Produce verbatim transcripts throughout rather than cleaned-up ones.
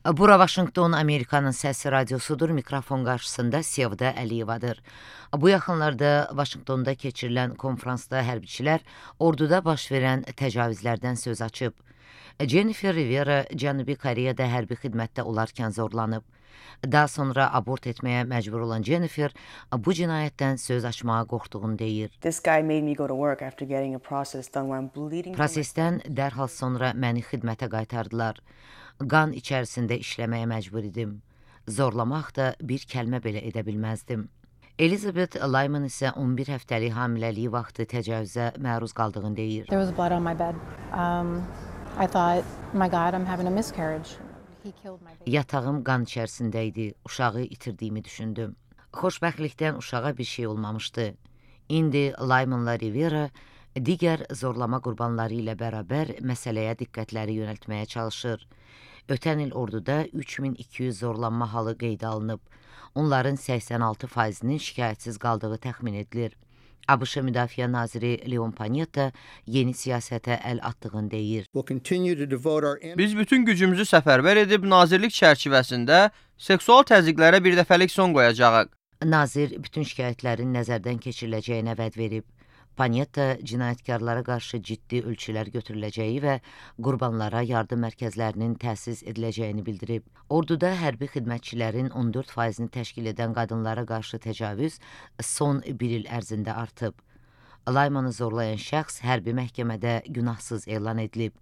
Bura Vaşinqton, Amerikanın Səsi radiosudur. Mikrofon qarşısında Sevda Əliyevadır. Bu yaxınlarda Vaşinqtonda keçirilən konfransda hərbiçilər orduda baş verən təcavüzlərdən söz açıb. Jennifer Rivera Cənubi Koreyada hərbi xidmətdə olarkən zorlanıb. Daha sonra abort etməyə məcbur olan Jennifer bu cinayətdən söz açmağa qorxduğunu deyir. This guy made me go to work after getting a process done when I'm bleeding. Prosesdən dərhal sonra məni xidmətə qaytardılar. Qan içərisində işləməyə məcbur idim. Zorlamaq da bir kəlmə belə edə bilməzdim. Elizabeth Lyman isə on bir həftəlik hamiləliyi vaxtı təcavüzə məruz qaldığını deyir. There was blood on my bed. Um, I thought, my God, I'm having a miscarriage. He killed my baby. Yatağım qan içərisində idi. Uşağı itirdiyimi düşündüm. Xoşbəxtlikdən uşağa bir şey olmamışdı. İndi Lymanla Rivera digər zorlama qurbanları ilə bərabər məsələyə diqqətləri yönəltməyə çalışır. Ötən il orduda üç min iki yüz zorlanma halı qeydə alınıb. Onların səksən altı faizinin şikayətsiz qaldığı təxmin edilir. ABŞ Müdafiə Naziri Leon Panetta yeni siyasətə əl attığını deyir. Biz bütün gücümüzü səfərbər edib nazirlik çərçivəsində seksual təzyiqlərə bir dəfəlik son qoyacağıq. Nazir bütün şikayətlərin nəzərdən keçiriləcəyinə vəd verib. Panetta cinayətkarlara qarşı ciddi ölçülər götürüləcəyi və qurbanlara yardım mərkəzlərinin təsis ediləcəyini bildirib. Orduda hərbi xidmətçilərin on dörd faizini təşkil edən qadınlara qarşı təcavüz son bir il ərzində artıb. Lymanı zorlayan şəxs hərbi məhkəmədə günahsız elan edilib.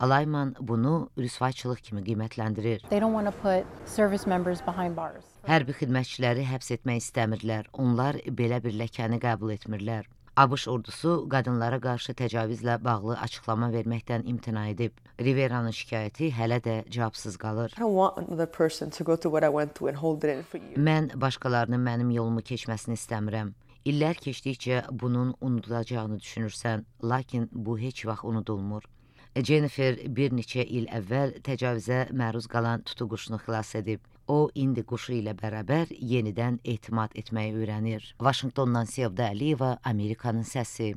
Lyman bunu rüsvayçılıq kimi qiymətləndirir. They don't want to put service members behind bars. Hərbi xidmətçiləri həbs etmək istəmirlər. Onlar belə bir ləkəni qəbul etmirlər. ABŞ ordusu qadınlara qarşı təcavüzlə bağlı açıqlama verməkdən imtina edib. Rivera'nın şikayəti hələ də cavabsız qalır. I don't want another person to go through what I went through and hold it in for you. Mən başqalarının mənim yolumu keçməsini istəmirəm. İllər keçdikcə bunun unudulacağını düşünürsən, lakin bu heç vaxt unudulmur. Jennifer bir neçə il əvvəl təcavüzə məruz qalan tutuquşunu xilas edib. O, indi quşu ilə bərabər yenidən etimad etməyi öyrənir. Vaşinqtondan Sevda Əliyeva, Amerikanın Səsi.